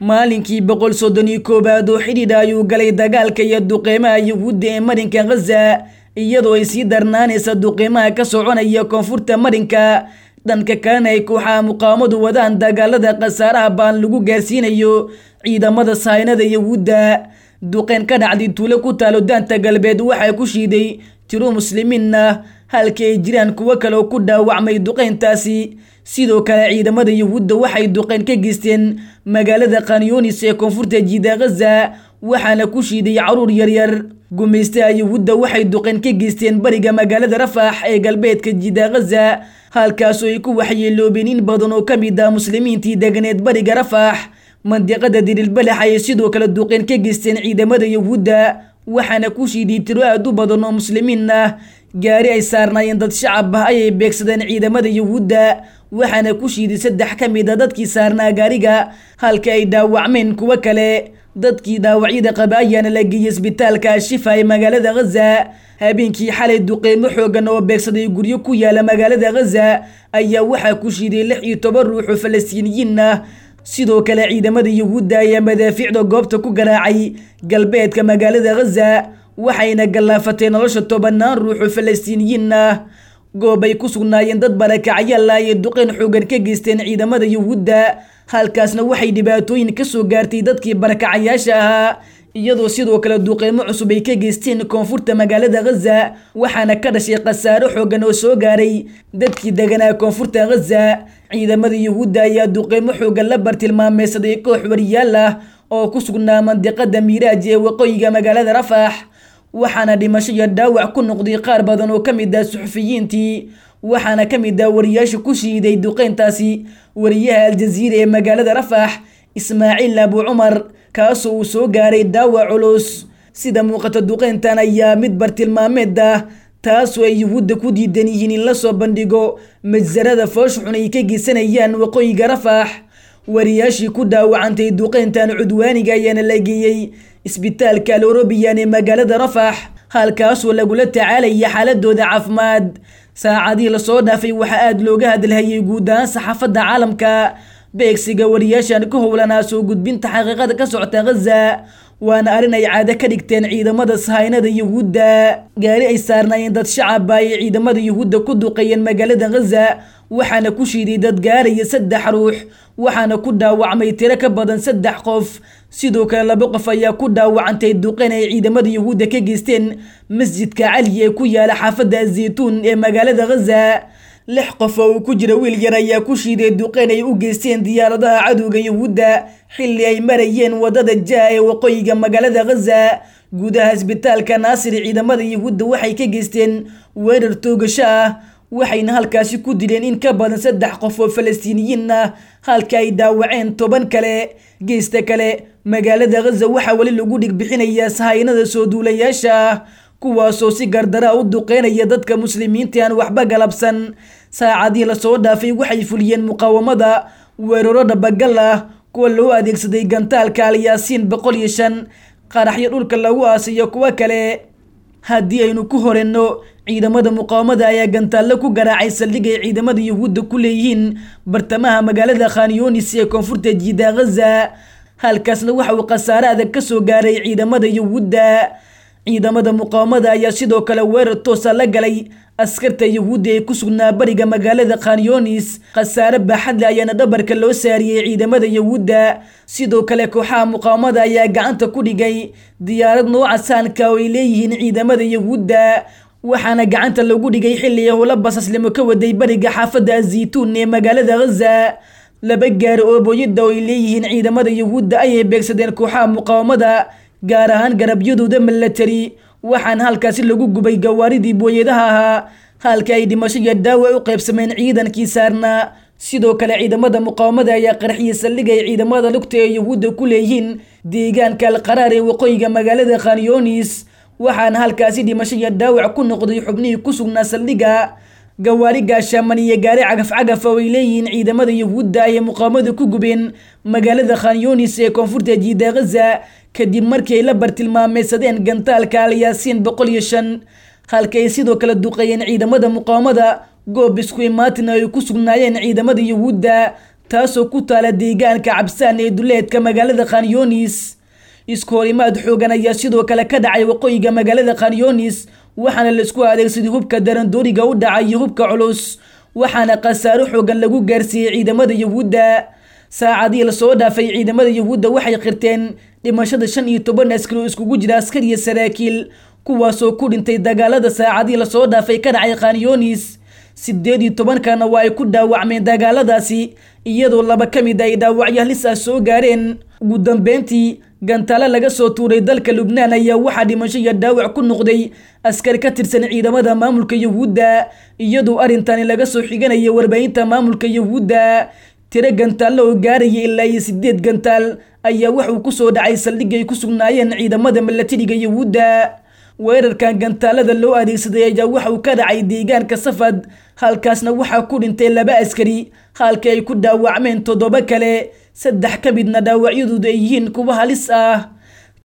Maalinkii 131aad oo xidhiidha ayuu galay dagaalka iyo duqeymaha Yuhuudda ee marinka Ghaza, iyadoo ay sii darnaanaysa duqeymaha ka soconaya koonfurta marinka. Dhanka kalena ay kooxaha muqaawamadu wadaan dagaalada khasaaraha baan lagu gaarsiinayo ciidamada sahaynada Yuhuudda. Duqeyn ka dhacday tuulo ku taalo daanta galbeed waxaa ku shiiday tiro muslimiin ah, halka ay jiraan kuwo kale oo ku dhaawacmay duqeyntaasi. Sidoo kale ciidamada Yuhuudda waxay duqeyn ka geysteen magaalada Khan Yunis ee koonfurta jiida Ghaza, waxaana ku shiiday caruur yaryar. Gumaystaha Yuhuudda waxay duqeyn ka geysteen bariga magaalada Rafax ee galbeedka jiida Ghaza, halkaasoo ay ku waxyeeloobeen in badan oo ka mid ah muslimiintii deganeed bariga Rafax. Mandiqada Dirilbalax ayay sidoo kale duqeyn ka geysteen ciidamada Yuhuudda, waxaana ku shiiday tiro aad u badan oo muslimiin ah. Gaari ay saarnaayeen dad shacab ah ayay beegsadeen ciidamada Yuhuudda, waxaana ku shiiday 3 ka mid a dadkii saarnaa gaariga, halka ay dhaawacmeen kuwo kale. Dadkii dhaawacyada qaba ayaana la geeyey isbitaalka Ashifa ee magaalada Ghaza. Habeenkii xalay duqeymo xoogan oo beegsaday guryo ku yaala magaalada Ghaza ayaa waxaa ku shiiday 16 ruux oo Falastiiniyiin ah. Sidoo kale ciidamada Yuhuudda ayaa madaafiicda goobta ku garaacay galbeedka magaalada Ghaza, waxayna gallaafatay nolosha tobanaan ruux oo Falastiiniyiin ah. Goob ay ku sugnaayeen dad barakacyaal ah ayay duqeyn xoogan ka geysteen ciidamada Yuhuudda, halkaasna waxay dhibaatooyin ka soo gaartay dadkii barakacayaasha ahaa, iyadoo sidoo kale duqeymo cusub ay ka geysteen koonfurta magaalada Ghaza, waxaana ka dhashay khasaaro xoogan oo soo gaaray dadkii deganaa koonfurta Ghaza. Ciidamada Yuhuudda ayaa duqeymo xoogan la bartilmaameysaday koox wariyaal ah oo ku sugnaa mandiqada Miiraaj ee waqooyiga magaalada Rafax, waxaana dhimasho iyo dhaawac ku noqday qaar badan oo ka mid ah suxufiyiintii. Waxaana ka mid ah wariyaasha ku shiiday duqeyntaasi wariyaha Aljaziira ee magaalada Rafax, Ismaaciil Abu Cumar, kaasoo uu soo gaaray dhaawac culus. Sida muuqata duqeyntan ayaa mid bartilmaameed ah, taasoo ay Yuhuudda ku diidan yihiin in la soo bandhigo majsarada foosha xun ay ka geysanayaan waqooyiga Rafax. Wariyaashii ku dhaawacantay duqeyntan cudwaaniga ayaana la geeyey isbitaalka Al-Orobiyan ee magaalada Rafax, halkaasoo lagula tacaalaya xaaladooda caafimaad. Saacadihii lasoo dhaafay waxaa aada looga hadalhayay guud ahaan saxaafadda caalamka beegsiga wariyaashan ku howlanaa soo gudbinta xaqiiqada ka socota Ghaza, waana arrin ay caado ka dhigteen ciidamada sahaynada Yuhuudda. Gaari ay saarnaayeen dad shacab ah ayay ciidamada Yuhuudda ku duqeeyeen magaalada Ghaza, waxaana ku shiiday dad gaaraya 3 ruux, waxaana ku dhaawacmay tiro ka badan 3 qof. Sidoo kale 2 qof ayaa ku dhaawacantay duqeyn ay ciidamada Yuhuudda ka geysteen masjidka Cali ee ku yaala xaafadda Zaytuun ee magaalada Ghaza. 6 qof oo uu ku jira wiil yar ayaa ku shiiday duqeyn ay u geysteen diyaaradaha cadowga Yuhuudda xilli ay marayeen wadada Jaa ee waqooyiga magaalada Ghaza. Gudaha isbitaalka Naasir ciidamada Yuhuudda waxay ka geysteen weerar toogasho ah, waxayna halkaasi ku dileen in ka badan 3 qof oo Falastiiniyiin ah, halka ay dhaawaceen 10 kale. Geesta kale magaalada Ghaza waxaa weli lagu dhigbixinayaa sahaynada soo duulayaasha ah, kuwaasoo si gardara u duqeynaya dadka muslimiinta aan waxba galabsan. Saacadihii lasoo dhaafay waxay fuliyeen muqaawamada weeraro dhabagal ah, kuwa loo adeegsaday gantaalka Alyaasiin 105, qaraxyo dhulka lagu aasiyo kuwo kale. Haddii aynu ku horenno, ciidamada muqaawamada ayaa gantaallo ku garaacay saldhig ay ciidamada Yuhuudda ku leeyihiin bartamaha magaalada Khan Yunis ee koonfurta jiida Ghaza, halkaasna waxa uu khasaare adag ka soo gaaray ciidamada Yuhuudda. Ciidamada muqaawamada ayaa sidoo kale weerar toosa la galay askarta Yuhuudda ee ku sugnaa bariga magaalada Khan Yunis. Khasaare baaxad leh ayaana dhabarka loo saariyey ciidamada Yuhuudda. Sidoo kale kooxaha muqaawamada ayaa gacanta ku dhigay diyaarad nooca saanka oo ay leeyihiin ciidamada Yuhuudda, waxaana gacanta lagu dhigay xilli howlo basaslimo ka waday bariga xaafadda Zaytuun ee magaalada Ghaza. 2 gaari oo booyada oo ay leeyihiin ciidamada Yuhuudda ayay beegsadeen kooxaha muqaawamada, gaar ahaan garabyadooda milatari, waxaana halkaasi lagu gubay gawaaridii booyadaha ahaa, halka ay dhimasho iyo dhaawac u qaybsameen ciidankii saarnaa. Sidoo kale ciidamada muqaawamada ayaa qarxiyey saldhig ay ciidamada lugta ee Yuhuudda ku leeyihiin deegaanka Alqaraar ee waqooyiga magaalada Khan Yunis, waxaana halkaasi dhimasho iyo dhaawac ku noqday xubnihii ku sugnaa saldhigga. Gawaari gaashaaman iyo gaari cagaf-cagaf oo ay leeyihiin ciidamada Yuhuudda ayay muqaawamadu ku gubeen magaalada Khan Yunis ee koonfurta jiida Ghaza, kadib markii ay la bartilmaameysadeen gantaalka Alyaasiin 105, halka ay sidoo kale duqeeyeen ciidamada muqaawamada goob isku imaatina ay ku sugnaayeen ciidamada Yuhuudda. Taasoo ku taala deegaanka Cabsaan ee duleedka magaalada Khanyonis. Isku horimaad xoogan ayaa sidoo kale ka dhacay waqooyiga magaalada Khanyonis, waxaana laisku adeegsaday hubka darandooriga u dhacay iyo hubka culus, waxaana khasaaro xoogan lagu gaarsiiyey ciidamada Yuhuudda. Saacadihii lasoo dhaafay ciidamada Yuhuudda waxay qirteen dhimashada 15 askari oo iskugu jira askar iyo saraakiil, kuwaasoo ku dhintay dagaalada saacadihii lasoo dhaafay ka dhacay Khanyonis. 18-kana waa ay ku dhaawacmeen dagaaladaasi, iyadoo 2 ka mid ay dhaawacyo halis ah soo gaareen. Ugu dambeyntii, gantaalo laga soo tuuray dalka Lubnaan ayaa waxaa dhimasho iyo dhaawac ku noqday askar ka tirsan ciidamada maamulka Yuhuudda, iyadoo arrintani laga soo xiganaya warbaahinta maamulka Yuhuudda. Tiro gantaallo oo gaaraya ilaa iyo 8 gantaal ayaa wuxuu ku soo dhacay saldhig ay ku sugnaayeen ciidamada milatariga Yuhuudda. Weerarkan gantaalada loo adeegsaday ayaa waxa uu ka dhacay deegaanka Safad, halkaasna waxaa ku dhintay 2 askari, halka ay ku dhaawacmeen 7 kale, 3 ka midna dhaawacyadoodu ay yihiin kuwo halis ah.